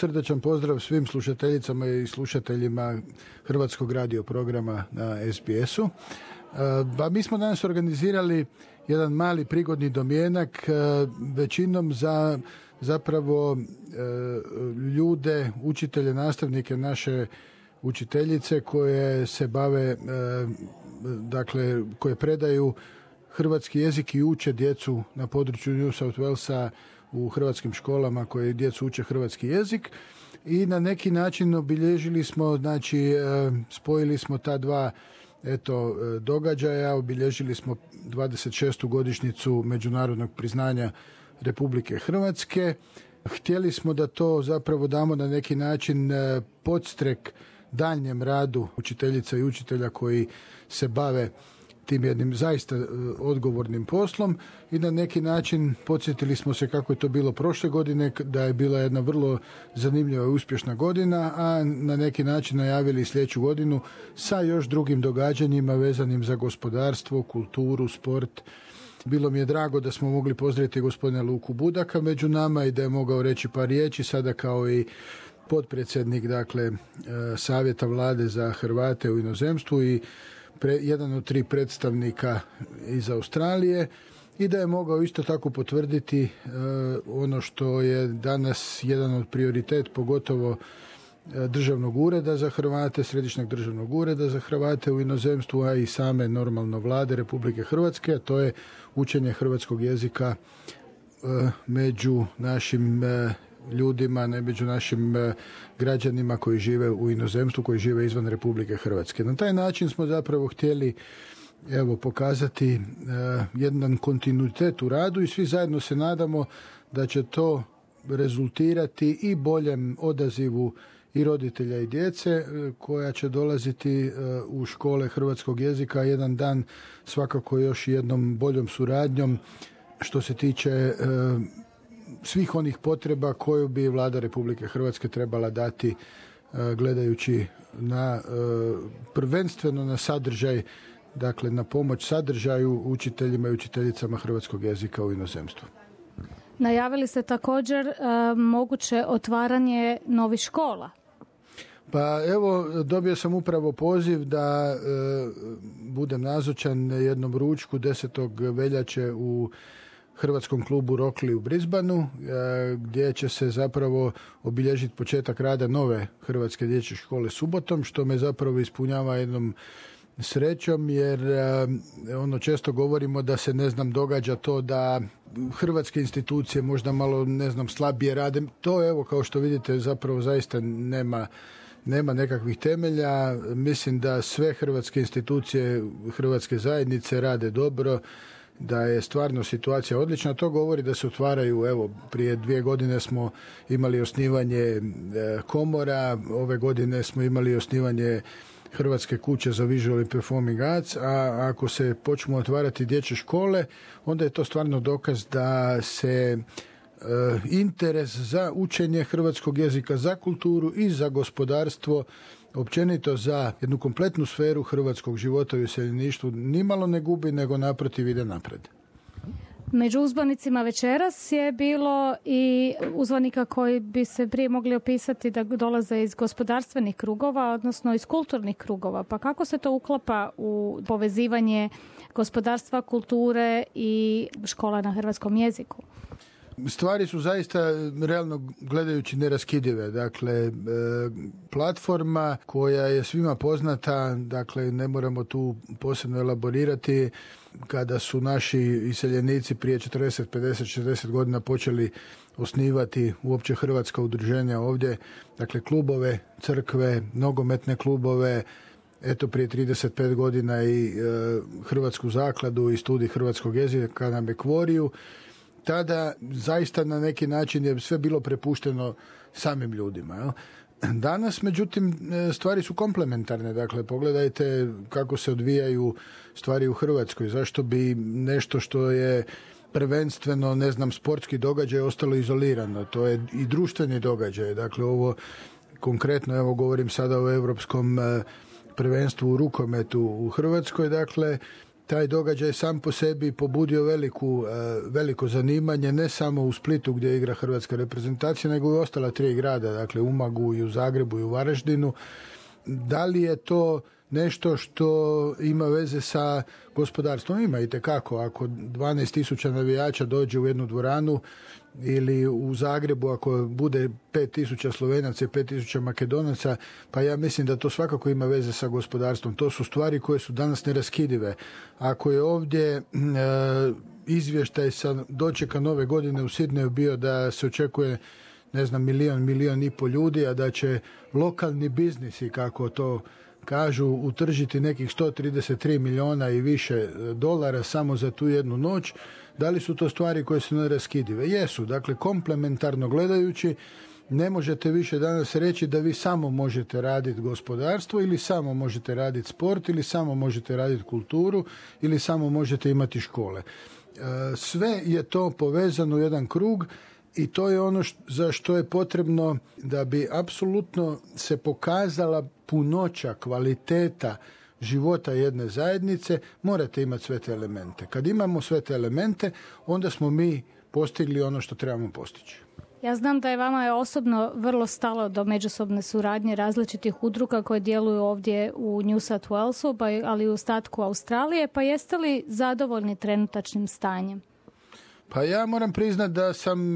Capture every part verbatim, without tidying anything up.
srdačan pozdrav svim slušateljicama i slušateljima Hrvatskog radio programa na es be esu. Pa mi smo danas organizirali jedan mali prigodni domjenak, većinom za zapravo ljude, učitelje, nastavnike, naše učiteljice koje se bave, dakle, koje predaju hrvatski jezik i uče djecu na području New South Walesa u hrvatskim školama koje djecu uče hrvatski jezik. I na neki način obilježili smo, znači spojili smo ta dva eto događaja, obilježili smo dvadeset šestu godišnjicu međunarodnog priznanja Republike Hrvatske. Htjeli smo da to zapravo damo na neki način podstrek daljnjem radu učiteljica i učitelja koji se bave tim jednim zaista odgovornim poslom i na neki način podsjetili smo se kako je to bilo prošle godine, da je bila jedna vrlo zanimljiva i uspješna godina, a na neki način najavili sljedeću godinu sa još drugim događanjima vezanim za gospodarstvo, kulturu, sport. Bilo mi je drago da smo mogli pozdraviti gospodina Luku Budaka među nama i da je mogao reći par riječi sada kao i potpredsjednik, dakle, Savjeta vlade za Hrvate u inozemstvu i Pre, jedan od tri predstavnika iz Australije i da je mogao isto tako potvrditi e, ono što je danas jedan od prioritet, pogotovo e, državnog ureda za Hrvate, središnjeg državnog ureda za Hrvate u inozemstvu, a i same normalno vlade Republike Hrvatske, a to je učenje hrvatskog jezika e, među našim e, ljudima, ne među našim e, građanima koji žive u inozemstvu, koji žive izvan Republike Hrvatske. Na taj način smo zapravo htjeli evo pokazati e, jedan kontinuitet u radu i svi zajedno se nadamo da će to rezultirati i boljem odazivu i roditelja i djece e, koja će dolaziti e, u škole hrvatskog jezika jedan dan, svakako još jednom boljom suradnjom što se tiče e, svih onih potreba koju bi Vlada Republike Hrvatske trebala dati gledajući na prvenstveno na sadržaj, dakle na pomoć sadržaju učiteljima i učiteljicama hrvatskog jezika u inozemstvu. Najavili ste također uh, moguće otvaranje novih škola. Pa evo, dobio sam upravo poziv da e, budem nazočan jednom ručku desetog veljače u Hrvatskom klubu Rockley u Brisbaneu, gdje će se zapravo obilježiti početak rada nove Hrvatske dječje škole subotom, što me zapravo ispunjava jednom srećom, jer ono često govorimo da se, ne znam, događa to da hrvatske institucije možda malo, ne znam, slabije rade. To evo, kao što vidite, zapravo zaista nema nema nekakvih temelja. Mislim da sve hrvatske institucije, hrvatske zajednice rade dobro, da je stvarno situacija odlična. To govori da se otvaraju, evo, prije dvije godine smo imali osnivanje komora, ove godine smo imali osnivanje Hrvatske kuće za visual and performing arts, a ako se počnu otvarati dječje škole, onda je to stvarno dokaz da se interes za učenje hrvatskog jezika, za kulturu i za gospodarstvo, općenito za jednu kompletnu sferu hrvatskog života i useljeništvu nimalo ne gubi, nego naprotiv ide napred. Među uzvanicima večeras je bilo i uzvanika koji bi se prije mogli opisati da dolaze iz gospodarstvenih krugova, odnosno iz kulturnih krugova. Pa kako se to uklapa u povezivanje gospodarstva, kulture i škola na hrvatskom jeziku? Stvari su zaista, realno gledajući, neraskidive. Dakle, platforma koja je svima poznata, dakle ne moramo tu posebno elaborirati, kada su naši iseljenici prije četrdeset, pedeset, šezdeset godina počeli osnivati uopće hrvatska udruženja ovdje, dakle klubove, crkve, nogometne klubove, eto prije trideset pet godina i e, Hrvatsku zakladu i studij hrvatskog jezika na Bekvoriju. Tada zaista na neki način je sve bilo prepušteno samim ljudima. Jel? Danas, međutim, stvari su komplementarne. Dakle, pogledajte kako se odvijaju stvari u Hrvatskoj. Zašto bi nešto što je prvenstveno, ne znam, sportski događaj ostalo izolirano? To je i društveni događaj. Dakle, ovo konkretno, evo govorim sada o europskom prvenstvu u rukometu u Hrvatskoj. Dakle, taj događaj sam po sebi pobudio veliku, veliko zanimanje, ne samo u Splitu gdje igra hrvatska reprezentacija, nego i ostala tri grada, dakle u Umagu i u Zagrebu i u Varaždinu. Da li je to nešto što ima veze sa gospodarstvom? Ima itekako. Ako dvanaest tisuća navijača dođe u jednu dvoranu ili u Zagrebu ako bude pet tisuća Slovenaca i pet tisuća Makedonaca, pa ja mislim da to svakako ima veze sa gospodarstvom. To su stvari koje su danas neraskidive. Ako je ovdje e, izvještaj sa dočeka nove godine u Sidneju bio da se očekuje ne znam, milijon, milijon i pol ljudi, a da će lokalni biznisi, kako to kažu, utržiti nekih sto trideset tri milijuna i više dolara samo za tu jednu noć. Da li su to stvari koje su neraskidive? Jesu. Dakle, komplementarno gledajući, ne možete više danas reći da vi samo možete raditi gospodarstvo ili samo možete raditi sport ili samo možete raditi kulturu ili samo možete imati škole. Sve je to povezano u jedan krug i to je ono što, za što je potrebno da bi apsolutno se pokazala punoća, kvaliteta života jedne zajednice, morate imati sve te elemente. Kad imamo sve te elemente, onda smo mi postigli ono što trebamo postići. Ja znam da je vama osobno vrlo stalo do međusobne suradnje različitih udruga koje djeluju ovdje u New South Walesu, ali i u ostatku Australije, pa jeste li zadovoljni trenutačnim stanjem? Pa ja moram priznati da sam,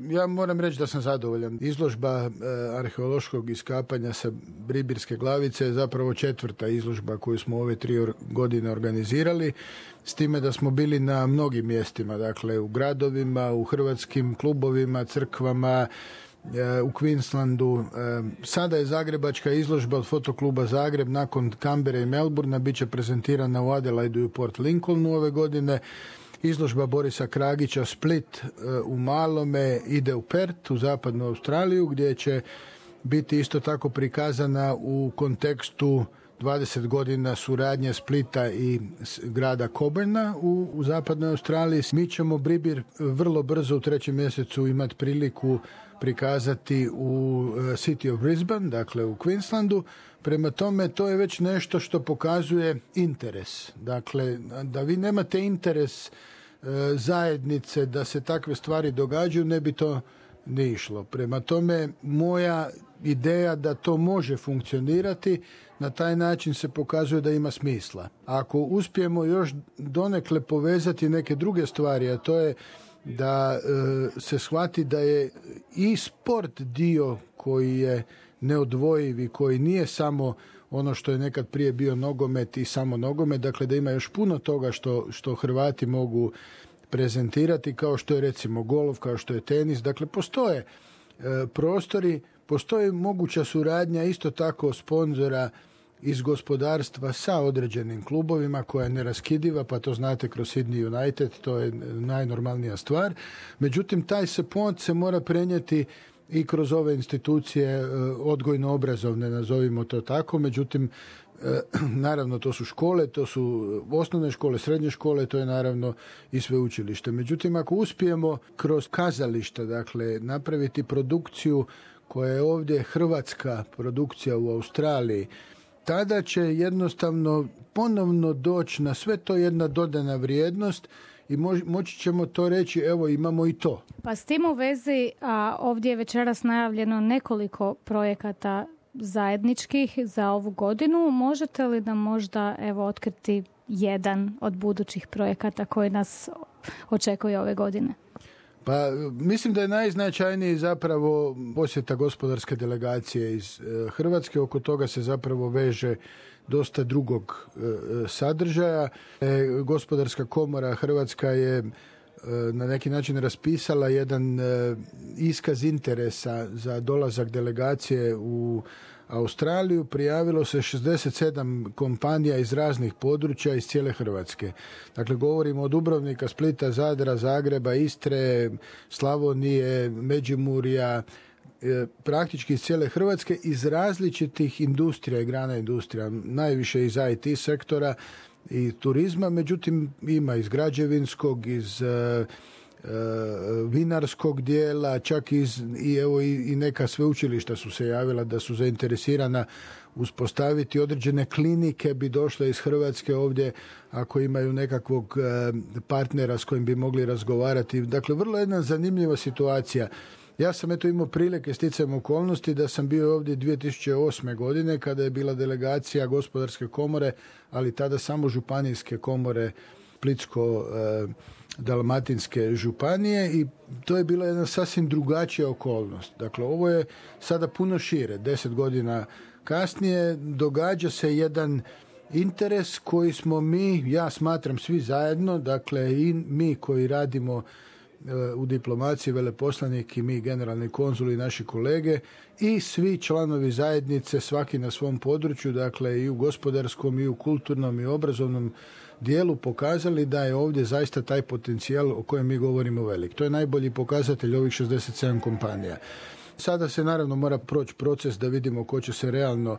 ja moram reći da sam zadovoljan. Izložba arheološkog iskapanja sa Bribirske glavice je zapravo četvrta izložba koju smo ove tri godine organizirali, s time da smo bili na mnogim mjestima, dakle u gradovima, u hrvatskim klubovima, crkvama, u Queenslandu. Sada je zagrebačka izložba od Fotokluba Zagreb nakon Canberra i Melbourna, bit će prezentirana u Adelaidu i u Port Lincolnu ove godine. Izložba Borisa Kragića Split u Malome ide u Perth, u zapadnu Australiju, gdje će biti isto tako prikazana u kontekstu dvadeset godina suradnje Splita i grada Coburna u, u zapadnoj Australiji. Mi ćemo Bribir vrlo brzo u trećem mjesecu imati priliku prikazati u City of Brisbane, dakle u Queenslandu. Prema tome, to je već nešto što pokazuje interes. Dakle, da vi nemate interes e, zajednice da se takve stvari događaju, ne bi to ne išlo. Prema tome, moja ideja da to može funkcionirati, na taj način se pokazuje da ima smisla. Ako uspijemo još donekle povezati neke druge stvari, a to je da e, se shvati da je i sport dio koji je neodvojiv i koji nije samo ono što je nekad prije bio nogomet i samo nogomet, dakle da ima još puno toga što, što Hrvati mogu prezentirati, kao što je recimo golf, kao što je tenis. Dakle, postoje e, prostori, postoji moguća suradnja isto tako sponzora iz gospodarstva sa određenim klubovima koja je neraskidiva, pa to znate kroz Sydney United, to je najnormalnija stvar. Međutim, taj se pont se mora prenijeti i kroz ove institucije odgojno-obrazovne, nazovimo to tako. Međutim, naravno to su škole, to su osnovne škole, srednje škole, to je naravno i sveučilište. Međutim, ako uspijemo kroz kazališta, dakle, napraviti produkciju koja je ovdje hrvatska produkcija u Australiji, tada će jednostavno ponovno doći na sve to jedna dodana vrijednost i mož, moći ćemo to reći, evo imamo i to. Pa s tim u vezi, a ovdje je večeras najavljeno nekoliko projekata zajedničkih za ovu godinu. Možete li nam možda evo otkriti jedan od budućih projekata koji nas očekuje ove godine? Pa mislim da je najznačajniji zapravo posjeta gospodarske delegacije iz e, Hrvatske. Oko toga se zapravo veže dosta drugog e, sadržaja. E, Gospodarska komora Hrvatska je e, na neki način raspisala jedan e, iskaz interesa za dolazak delegacije u Australiju. Prijavilo se šezdeset sedam kompanija iz raznih područja iz cijele Hrvatske. Dakle, govorimo od Dubrovnika, Splita, Zadra, Zagreba, Istre, Slavonije, Međimurja, praktički iz cijele Hrvatske, iz različitih industrija i grana industrija, najviše iz I T sektora i turizma, međutim ima iz građevinskog, iz vinarskog dijela, čak iz, i, evo, i, i neka sveučilišta su se javila da su zainteresirana uspostaviti određene klinike, bi došle iz Hrvatske ovdje ako imaju nekakvog partnera s kojim bi mogli razgovarati. Dakle, vrlo jedna zanimljiva situacija. Ja sam eto imao prilike sticajem okolnosti da sam bio ovdje dvije tisuće osme. godine kada je bila delegacija Gospodarske komore, ali tada samo županijske komore Splitsko-dalmatinske županije, i to je bila jedna sasvim drugačija okolnost. Dakle, ovo je sada puno šire. Deset godina kasnije događa se jedan interes koji smo mi, ja smatram svi zajedno, dakle i mi koji radimo u diplomaciji, veleposlanik i mi generalni konzuli i naši kolege i svi članovi zajednice, svaki na svom području, dakle i u gospodarskom i u kulturnom i obrazovnom dijelu, pokazali da je ovdje zaista taj potencijal o kojem mi govorimo velik. To je najbolji pokazatelj ovih šezdeset sedam kompanija. Sada se naravno mora proći proces da vidimo ko će se realno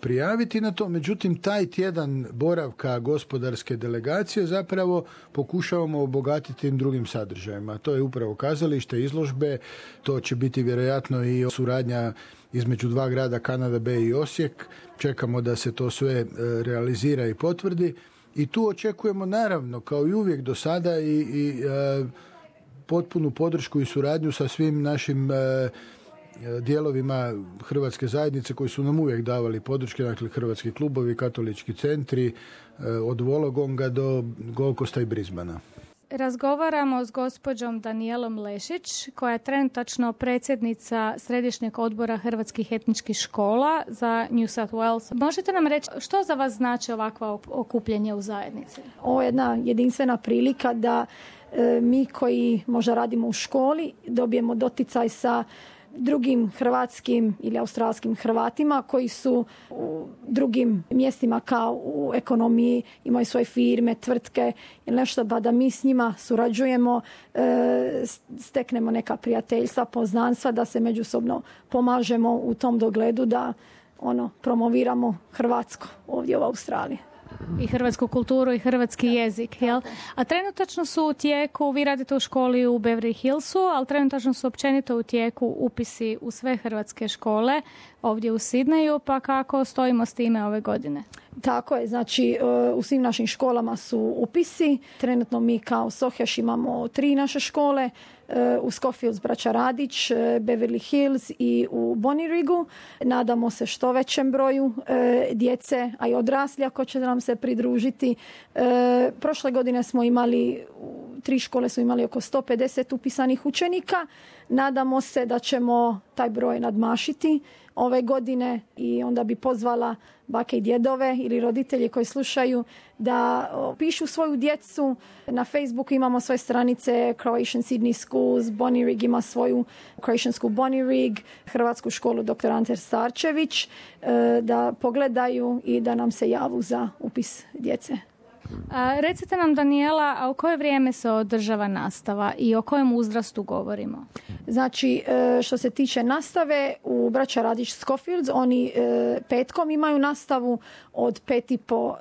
prijaviti na to. Međutim, taj tjedan boravka gospodarske delegacije zapravo pokušavamo obogatiti drugim sadržajima. To je upravo kazalište, izložbe, to će biti vjerojatno i suradnja između dva grada, Kanada B i Osijek. Čekamo da se to sve realizira i potvrdi. I tu očekujemo naravno, kao i uvijek do sada, i, i e, potpunu podršku i suradnju sa svim našim e, dijelovima hrvatske zajednice koji su nam uvijek davali podrške, dakle hrvatski klubovi, katolički centri, od Vologonga do Golkosta i Brisbana. Razgovaramo s gospođom Danijelom Lešić, koja je trenutačno predsjednica Središnjeg odbora hrvatskih etničkih škola za New South Wales. Možete nam reći što za vas znači ovakva okupljanje u zajednici? Ovo je jedna jedinstvena prilika da e, mi koji možda radimo u školi dobijemo doticaj sa drugim hrvatskim ili australskim Hrvatima koji su u drugim mjestima kao u ekonomiji, imaju svoje firme, tvrtke ili nešto, pa da mi s njima surađujemo, e, steknemo neka prijateljstva, poznanstva, da se međusobno pomažemo u tom dogledu da ono promoviramo hrvatsko ovdje u Australiji. I hrvatsku kulturu i hrvatski jezik, jel? A trenutačno su u tijeku, vi radite u školi u Beverly Hillsu, ali trenutačno su općenito u tijeku upisi u sve hrvatske škole ovdje u Sidneju, pa kako stojimo s time ove godine? Tako je, znači u svim našim školama su upisi. Trenutno mi kao Sohjaš imamo tri naše škole, u Schofields braća Radić, Beverly Hills i u Bonnyriggu. Nadamo se što većem broju djece, a i odrasli ako će nam se pridružiti. Prošle godine smo imali, tri škole su imali oko sto pedeset upisanih učenika. Nadamo se da ćemo taj broj nadmašiti ove godine i onda bi pozvala bake i djedove ili roditelji koji slušaju da pišu svoju djecu. Na Facebooku imamo svoje stranice Croatian Sydney Schools, Bonnyrigg ima svoju Croatian School Bonnyrigg, Hrvatsku školu doktor Ante Starčević, da pogledaju i da nam se javu za upis djece. A, recite nam, Danijela, a u koje vrijeme se održava nastava i o kojem uzrastu govorimo? Znači, što se tiče nastave, u braća Radić Schofields, oni petkom imaju nastavu od pet i po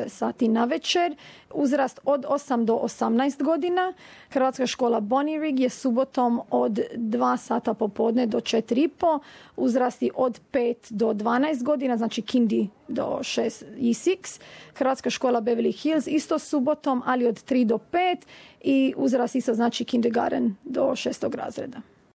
sati na večer, uzrast od osam do osamnaest godina. Hrvatska škola Bonnyrigg je subotom od dva sata popodne do četiri i po, uzrasti od pet do dvanaest godina, znači kindi do šest i šest. Hrvatska škola Beverly Hills isto subotom, ali od tri do pet, i uzrast isto znači kindergarten do šestog razreda.